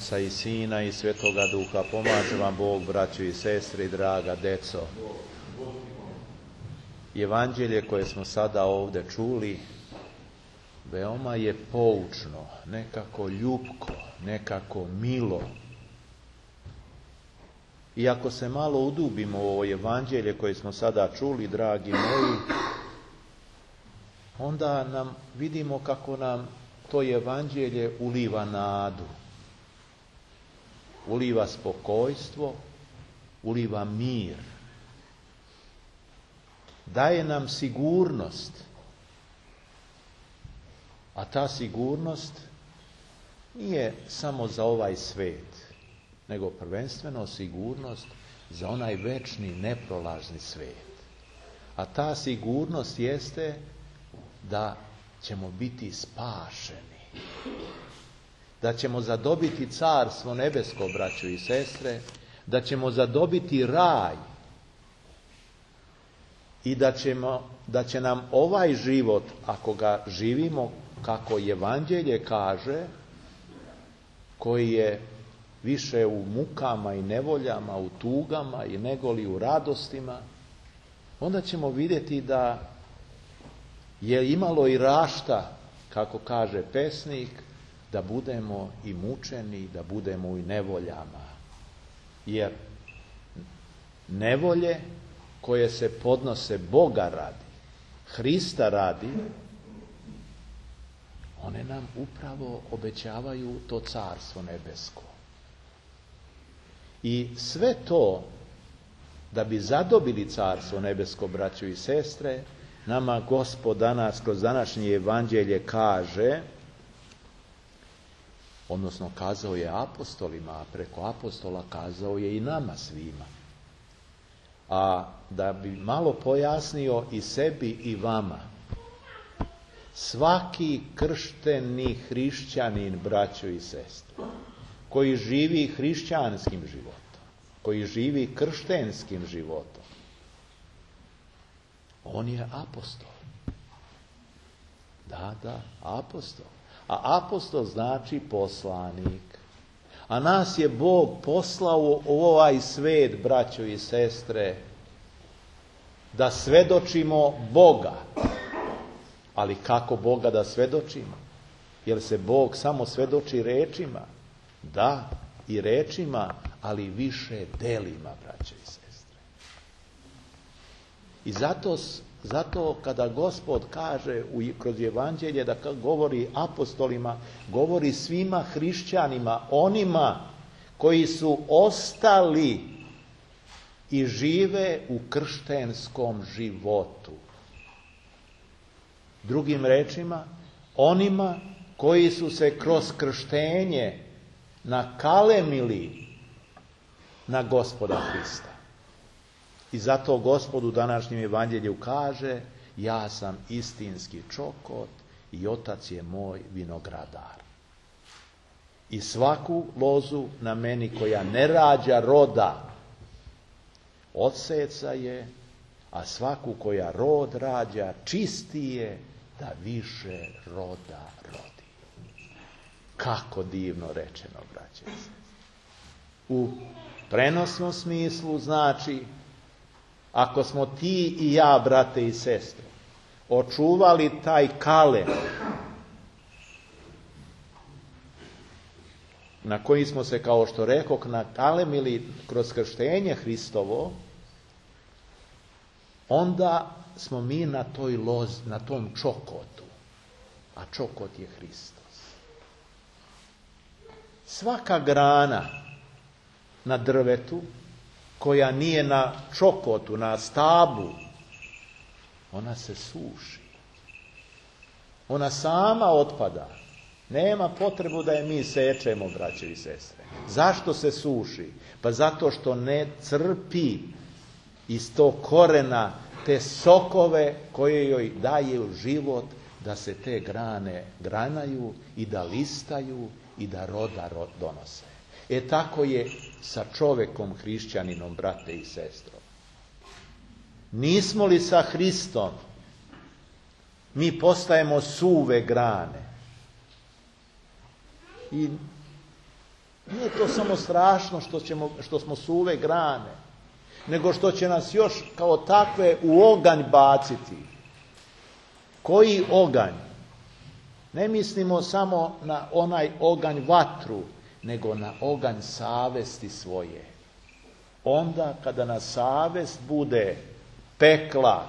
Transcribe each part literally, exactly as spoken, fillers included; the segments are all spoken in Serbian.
Oca i Sina i Svetoga Duha. Pomaže vam Bog, braćo i sestre i draga deco. Evanđelje koje smo sada ovdje čuli veoma je poučno, nekako ljubko, nekako milo. I ako se malo udubimo u ovo evanđelje koje smo sada čuli, dragi moji, onda nam vidimo kako nam to evanđelje uliva nadu, uliva spokojstvo, uliva mir, daje nam sigurnost. A ta sigurnost nije samo za ovaj svet, nego prvenstveno sigurnost za onaj večni, neprolazni svet. A ta sigurnost jeste da ćemo biti spašeni, da ćemo zadobiti carstvo nebesko, braćo i sestre, da ćemo zadobiti raj i da, ćemo, da će nam ovaj život, ako ga živimo kako evanđelje kaže, koji je više u mukama i nevoljama, u tugama i negoli u radostima, onda ćemo vidjeti da je imalo i rašta, kako kaže pesnik, da budemo i mučeni, da budemo i nevoljama. Jer nevolje koje se podnose Boga radi, Hrista radi, one nam upravo obećavaju to carstvo nebesko. I sve to, da bi zadobili carstvo nebesko, braćo i sestre, nama Gospod danas kroz današnje evanđelje kaže, odnosno kazao je apostolima, a preko apostola kazao je i nama svima. A da bi malo pojasnio i sebi i vama, svaki kršteni hrišćanin, braćo i sestre, koji živi hrišćanskim životom, koji živi krštenskim životom, on je apostol. Da, da, apostol. A apostol znači poslanik. A nas je Bog poslao u ovaj svet, braćo i sestre, da svedočimo Boga. Ali kako Boga da svedočimo? Jer se Bog samo svedoči rečima? Da, i rečima, ali više delima, braćo i sestre. I zato, zato kada Gospod kaže u, kroz evanđelje da govori apostolima, govori svima hrišćanima, onima koji su ostali i žive u krštenskom životu. Drugim rečima, onima koji su se kroz krštenje nakalemili na Gospoda Hrista. I zato Gospod u današnjem evanđelju kaže, ja sam istinski čokot i Otac je moj vinogradar. I svaku lozu na meni koja ne rađa roda, odseca je, a svaku koja rod rađa, čisti je da više roda rodi. Kako divno rečeno, braće i sestre. U prenosnom smislu znači, ako smo ti i ja, brate i sestre, očuvali taj kalen na koji smo se, kao što rekoh, nakalemili kroz krštenje Hristovo, onda smo mi na toj lozi, na tom čokotu, a čokot je Hristos. Svaka grana na drvetu koja nije na čokotu, na stablu, ona se suši. Ona sama otpada. Nema potrebu da je mi sečemo, braćo i sestre. Zašto se suši? Pa zato što ne crpi iz tog korena te sokove koje joj daje život da se te grane granaju i da listaju i da roda donose. E tako je sa čovekom hrišćaninom, brate i sestro. Nismo li sa Hristom, mi postajemo suve grane. I Nije to samo strašno što, ćemo, što smo suve grane, nego što će nas još kao takve u oganj baciti. Koji oganj? Ne mislimo samo na onaj oganj vatru, nego na oganj savesti svoje. Onda kada nas savest bude pekla,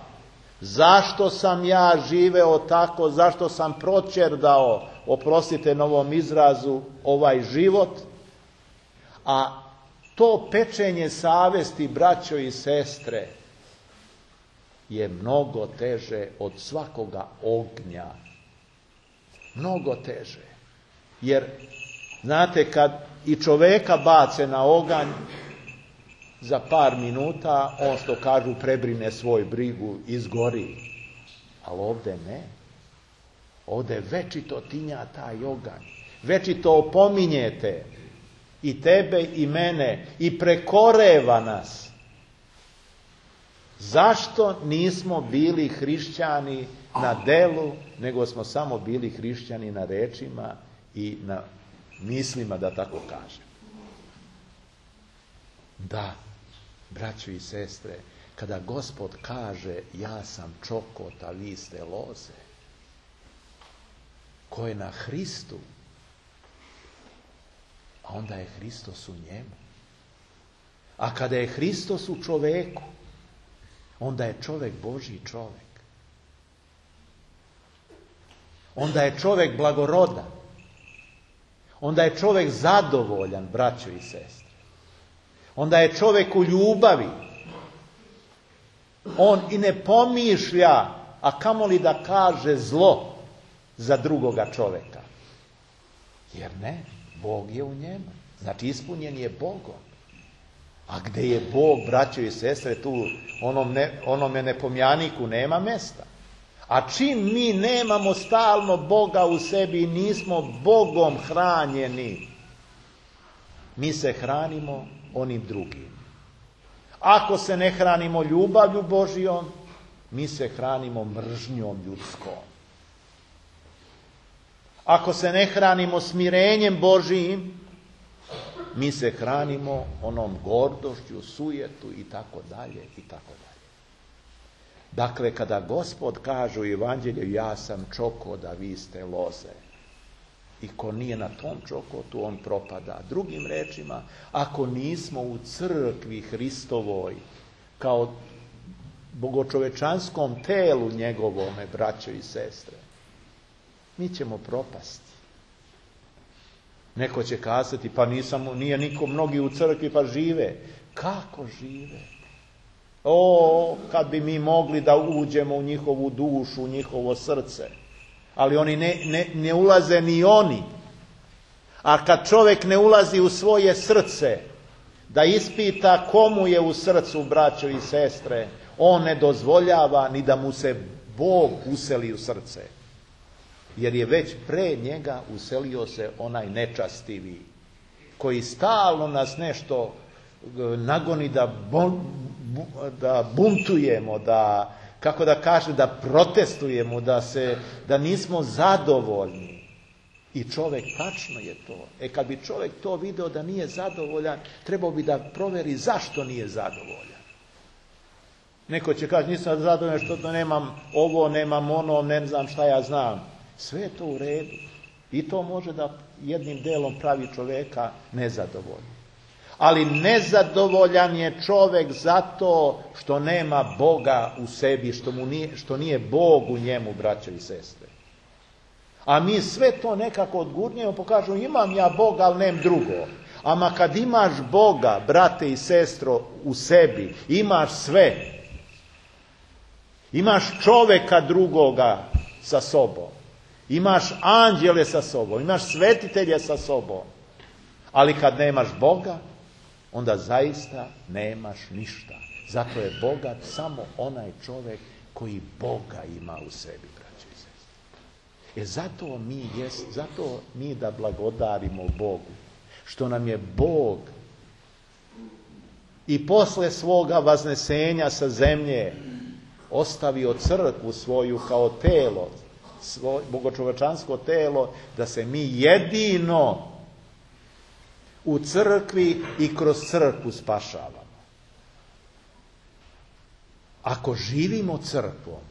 zašto sam ja živeo tako, zašto sam proćerdao, oprostite na ovom izrazu, ovaj život, a to pečenje savesti, braćo i sestre, je mnogo teže od svakoga ognja. Mnogo teže. Jer, znate, kad i čoveka bace na oganj, za par minuta, on što kažu prebrine svoj brigu, izgori. Ali ovdje ne. Ovdje večito tinja taj oganj. Večito opominjete i tebe i mene i prekoreva nas. Zašto nismo bili hrišćani na delu, nego smo samo bili hrišćani na rečima i na mislima, da tako kažem. Da, braćo i sestre, kada Gospod kaže ja sam čokot, a vi ste loze, ko je na Hristu, a onda je Hristos u njemu. A kada je Hristos u čoveku, onda je čovek Božji čovek. Onda je čovek blagorodan. Onda je čovek zadovoljan, braćo i sestre. Onda je čovek u ljubavi. On i ne pomišlja, a kamoli da kaže zlo za drugoga čoveka. Jer ne, Bog je u njemu. Znači ispunjen je Bogom. A gde je Bog, braćo i sestre, tu onom ne, onome nepomjaniku nema mesta. A čim mi nemamo stalno Boga u sebi i nismo Bogom hranjeni, mi se hranimo onim drugim. Ako se ne hranimo ljubavlju Božijom, mi se hranimo mržnjom ljudskom. Ako se ne hranimo smirenjem Božijim, mi se hranimo onom gordošću, sujetu i tako dalje i tako dalje. Dakle, kada Gospod kaže u Evanđelju ja sam čokot, a vi ste loze, i ko nije na tom čokotu, on propada. Drugim rečima, ako nismo u crkvi Hristovoj, kao bogočovečanskom telu njegovome, braćo i sestre, mi ćemo propasti. Neko će kazati, pa nisam, nije niko, mnogi u crkvi pa žive. Kako žive? O, kad bi mi mogli da uđemo u njihovu dušu, u njihovo srce. Ali oni ne, ne, ne ulaze ni oni. A kad čovjek ne ulazi u svoje srce, da ispita komu je u srcu, braćo i sestre, on ne dozvoljava ni da mu se Bog useli u srce. Jer je već pre njega uselio se onaj nečastivi, koji stalno nas nešto nagoni da, bon, da buntujemo, da, kako da kaže, da protestujemo, da, se, da nismo zadovoljni. I čovjek, tačno je to. E kad bi čovjek to video da nije zadovoljan, trebao bi da proveri zašto nije zadovoljan. Neko će kaži, nisam zadovoljan što nemam ovo, nemam ono, ne znam šta ja znam. Sve je to u redu. I to može da jednim delom pravi čovjeka nezadovoljnim. Ali nezadovoljan je čovjek zato što nema Boga u sebi, što, mu nije, što nije Bog u njemu, braćo i sestre. A mi sve to nekako odgurnjujemo, pokažemo imam ja Boga, ali nem drugo. Ama kad imaš Boga, brate i sestro, u sebi, imaš sve. Imaš čovjeka drugoga sa sobom. Imaš anđele sa sobom, imaš svetitelje sa sobom. Ali kad nemaš Boga, onda zaista nemaš ništa. Zato je bogat samo onaj čovjek koji Boga ima u sebi, braćo i sestre. E zato mi, jest, zato mi da blagodarimo Bogu, što nam je Bog i posle svoga vaznesenja sa zemlje ostavio crkvu svoju kao telo, svoje bogočovečansko telo, da se mi jedino U crkvi i kroz crkvu spašavamo. Ako živimo crkvom,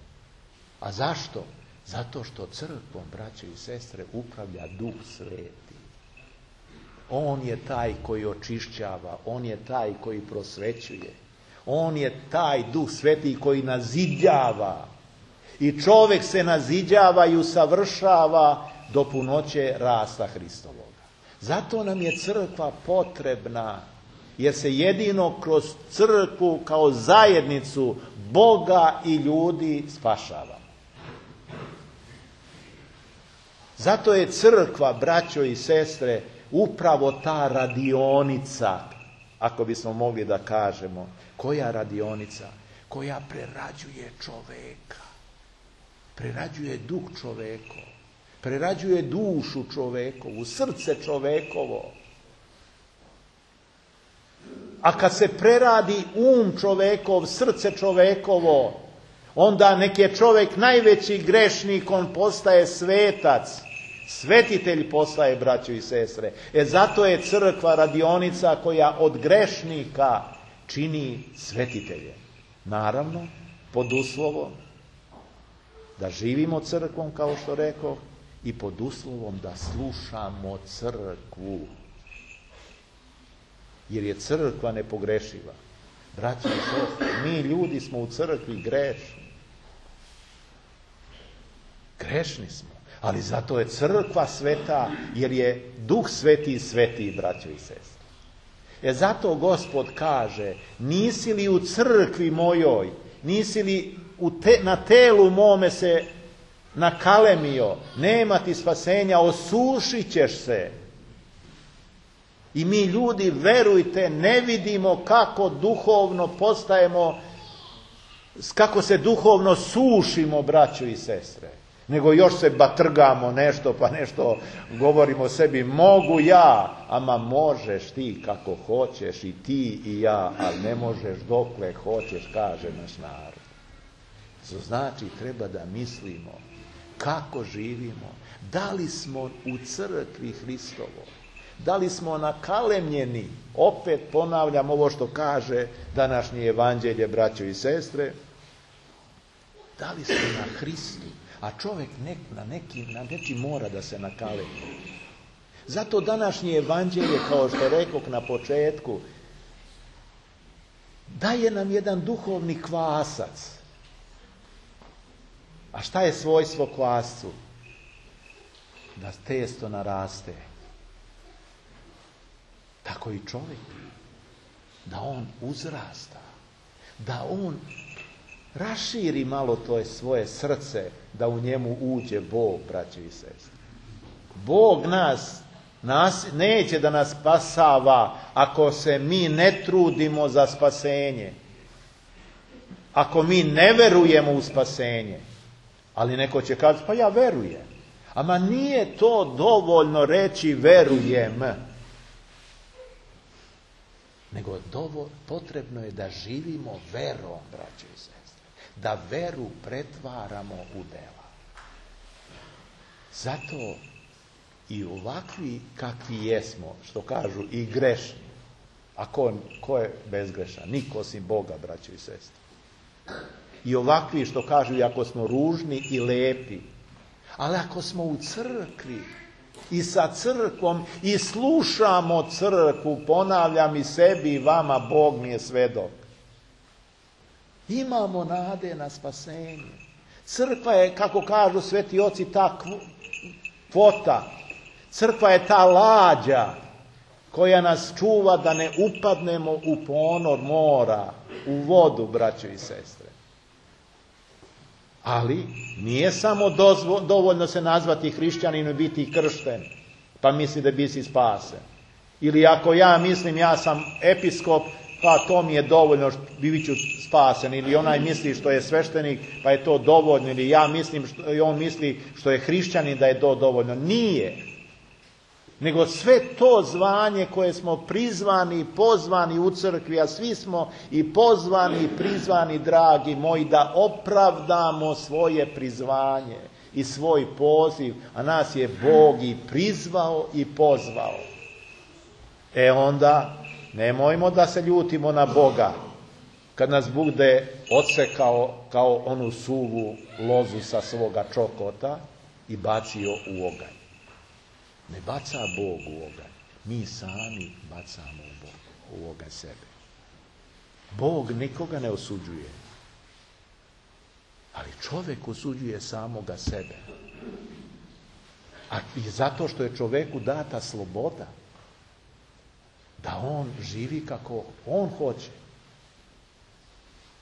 a zašto? Zato što crkvom, braće i sestre, upravlja Duh Sveti. On je taj koji očišćava, on je taj koji prosvećuje. On je taj Duh Sveti koji nazidjava. I čovjek se naziđava i usavršava do punoće rasta Hristovoga. Zato nam je crkva potrebna, jer se jedino kroz crkvu kao zajednicu Boga i ljudi spašava. Zato je crkva, braćo i sestre, upravo ta radionica, ako bismo mogli da kažemo. Koja radionica? Koja prerađuje čoveka. Prerađuje duh čovekov. Prerađuje dušu čovekovu, srce čovekovo. A kad se preradi um čovekov, srce čovekovo, onda nek je čovjek najveći grešnik, on postaje svetac. Svetitelj postaje, braćo i sestre. E zato je crkva radionica koja od grešnika čini svetitelje. Naravno, pod uslovom da živimo crkvom, kao što rekao, i pod uslovom da slušamo crkvu. Jer je crkva nepogrešiva. Braćo i sestre, mi ljudi smo u crkvi grešni. Grešni smo. Ali zato je crkva sveta, jer je Duh Sveti sveti, braćo i sestre. E zato Gospod kaže, nisi li u crkvi mojoj, nisi li u te, na telu mome se nakalemio, nema ti spasenja, osušit ćeš se. I mi ljudi, verujte, ne vidimo kako duhovno postajemo, kako se duhovno sušimo, braćo i sestre. Nego još se batrgamo nešto, pa nešto govorimo sebi, mogu ja, ama možeš ti kako hoćeš, i ti i ja, ali ne možeš dokle hoćeš, kaže naš narod. To znači, treba da mislimo kako živimo, da li smo u crkvi Hristovo, da li smo nakalemljeni, opet ponavljam ovo što kaže današnje evanđelje, braćo i sestre, da li smo na Hristu. A čovjek nek, na, neki, na neki mora da se nakalemi. Zato današnje evanđelje, kao što rekao na početku, daje nam jedan duhovni kvasac. A šta je svojstvo kvascu? Da testo naraste. Tako i čovjek. Da on uzrasta. Da on raširi malo to svoje srce, da u njemu uđe Bog, braće i sestre. Bog nas, nas neće da nas spasava ako se mi ne trudimo za spasenje. Ako mi ne verujemo u spasenje. Ali neko će kazati, pa ja verujem. Ama nije to dovoljno reći verujem. Nego dovo, potrebno je da živimo verom, braće i sestre. Da veru pretvaramo u dela. Zato i ovakvi kakvi jesmo, što kažu i grešni, a ko, ko je bezgrešan? Niko osim Boga, braćo i sestre. I ovakvi što kažu, i ako smo ružni i lepi, ali ako smo u crkvi i sa crkvom i slušamo crkvu, ponavljam i sebi i vama, Bog mi je svedok. Imamo nade na spasenje. Crkva je, kako kažu sveti oci, ta kvota. Crkva je ta lađa koja nas čuva da ne upadnemo u ponor mora, u vodu, braćo i sestre. Ali nije samo dozvo, dovoljno se nazvati hrišćanin i biti kršten, pa misli da bi si spasen. Ili ako ja mislim ja sam episkop, pa to mi je dovoljno, bit ću spasen. Ili onaj misli što je sveštenik, pa je to dovoljno. Ili ja mislim, što, i on misli što je hrišćanin, da je to dovoljno. Nije. Nego sve to zvanje koje smo prizvani, pozvani u crkvi, a svi smo i pozvani i prizvani, dragi moji, da opravdamo svoje prizvanje i svoj poziv, a nas je Bog i prizvao i pozvao. E onda, nemojmo da se ljutimo na Boga, kad nas bude odsekao kao onu suvu lozu sa svoga čokota i bacio u oganj. Ne baca Bog u oganj. Mi sami bacamo u, Bog, u oganj sebe. Bog nikoga ne osuđuje. Ali čovjek osuđuje samoga sebe. A i zato što je čovjeku data sloboda. Da on živi kako on hoće.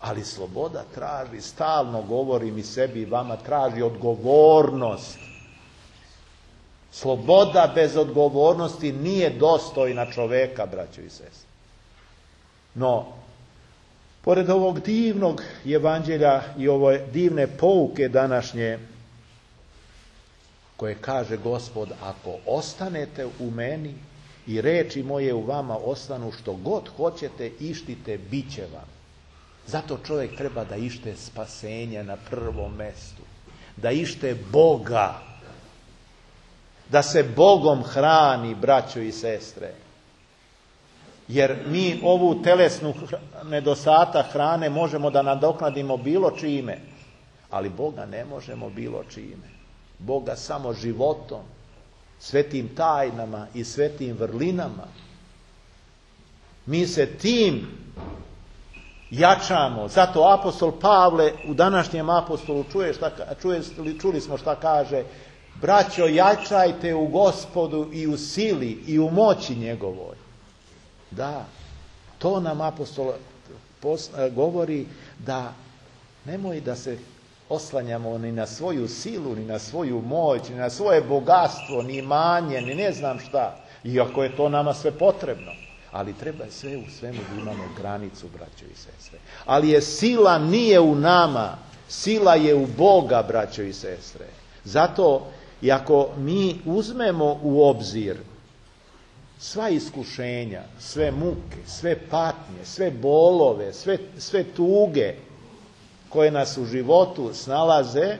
Ali sloboda traži, stalno govorim i sebi i vama, traži odgovornost. Sloboda bez odgovornosti nije dostojna čoveka, braćo i sestre. No, pored ovog divnog evanđelja i ove divne pouke današnje, koje kaže Gospod, ako ostanete u meni i reči moje u vama ostanu, što god hoćete, ištite, bit će vam. Zato čovjek treba da ište spasenje na prvom mestu. Da ište Boga. Da se Bogom hrani, braćo i sestre. Jer mi ovu telesnu nedostatak hrane možemo da nadoknadimo bilo čime. Ali Boga ne možemo bilo čime. Boga samo životom, svetim tajnama i svetim vrlinama. Mi se tim jačamo. Zato apostol Pavle u današnjem apostolu čuje šta, čuje, čuli smo šta kaže: braćo, jačajte u Gospodu i u sili i u moći njegovoj. Da, to nam apostol govori, da nemoj da se oslanjamo ni na svoju silu, ni na svoju moć, ni na svoje bogatstvo, ni imanje, ni ne znam šta. Iako je to nama sve potrebno. Ali treba sve u svemu da imamo granicu, braćo i sestre. Ali je sila nije u nama, sila je u Boga, braćo i sestre. Zato, i ako mi uzmemo u obzir sva iskušenja, sve muke, sve patnje, sve bolove, sve, sve tuge koje nas u životu snalaze,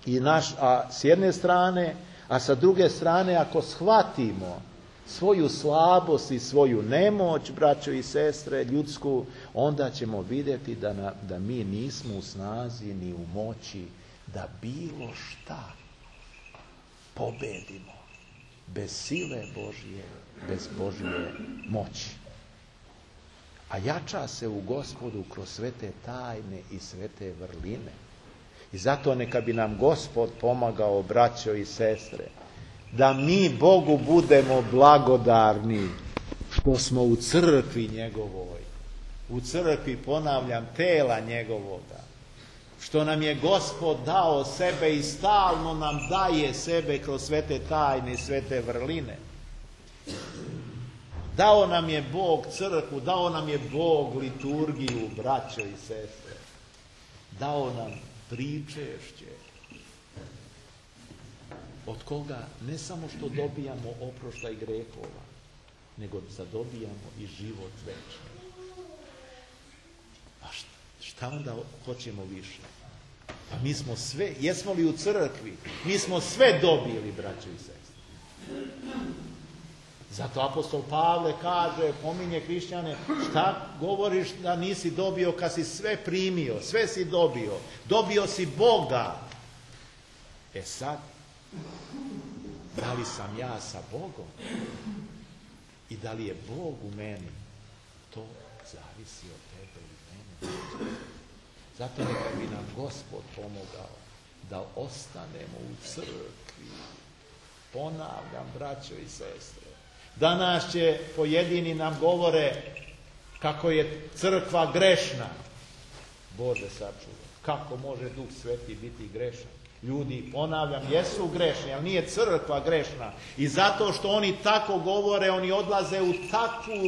i naš, a s jedne strane, a sa druge strane, ako shvatimo svoju slabost i svoju nemoć, braćo i sestre, ljudsku, onda ćemo vidjeti da, na, da mi nismo u snazi ni u moći da bilo šta pobedimo bez sile Božje, bez Božje moći. A jača se u Gospodu kroz sve te tajne i sve te vrline. I zato neka bi nam Gospod pomagao, braćo i sestre, da mi Bogu budemo blagodarni što smo u crkvi njegovoj, u crkvi, ponavljam, tela njegovoga, što nam je Gospod dao sebe i stalno nam daje sebe kroz sve te tajne i sve te vrline. Dao nam je Bog crkvu, dao nam je Bog liturgiju, braćo i sestre, dao nam pričešće, od koga ne samo što dobijamo oproštaj grehova, nego zadobijamo i život večni. A šta onda hoćemo više? Pa mi smo sve, jesmo li u crkvi? Mi smo sve dobili, braćo i sestre. Zato apostol Pavle kaže, pominje hrišćane, šta govoriš da nisi dobio kad si sve primio, sve si dobio, dobio si Boga. E sad, da li sam ja sa Bogom i da li je Bog u meni, to zavisi od tebe i mene. Zato neka bi nam Gospod pomogao da ostanemo u crkvi. Ponavljam, braćo i sestre, danas će pojedini nam govore kako je crkva grešna. Bože sačuvaj, kako može Duh Sveti biti grešan? Ljudi, ponavljam, jesu grešni, ali nije crkva grešna. I zato što oni tako govore, oni odlaze u takvu,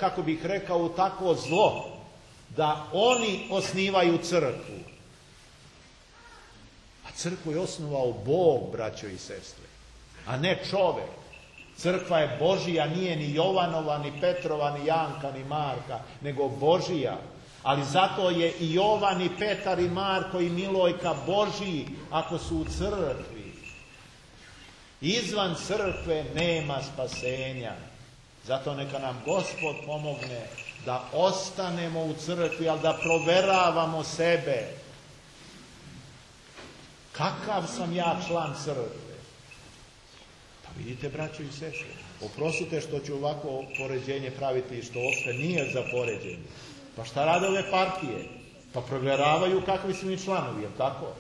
kako bih rekao, u takvo zlo, da oni osnivaju crkvu. A crkvu je osnovao Bog, braćo i sestre, a ne čovek. Crkva je Božija, nije ni Jovanova, ni Petrova, ni Janka, ni Marka, nego Božija. Ali zato je i Jovan, i Petar, i Marko, i Milojka Božiji ako su u crkvi. Izvan crkve nema spasenja. Zato neka nam Gospod pomogne da ostanemo u crkvi, ali da proveravamo sebe. Kakav sam ja član crkve? Pa vidite, braćo i sestre, oprostite što ću ovako poređenje praviti, što uopšte nije za poređenje. Pa šta rade ove partije? Pa provjeravaju kakvi su mi članovi, je li tako?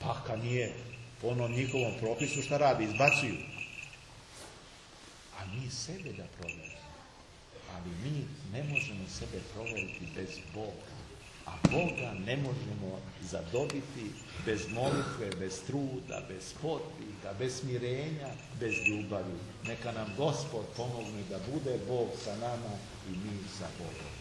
Pa kad nije po onom njihovom propisu, šta radi? Izbacuju. A mi sebe da provjerimo. Ali mi ne možemo sebe provjeriti bez Boga. A Boga ne možemo zadobiti bez molitve, bez truda, bez potpika, bez smirenja, bez ljubavi. Neka nam Gospod pomogne da bude Bog sa nama i mi sa Bogom.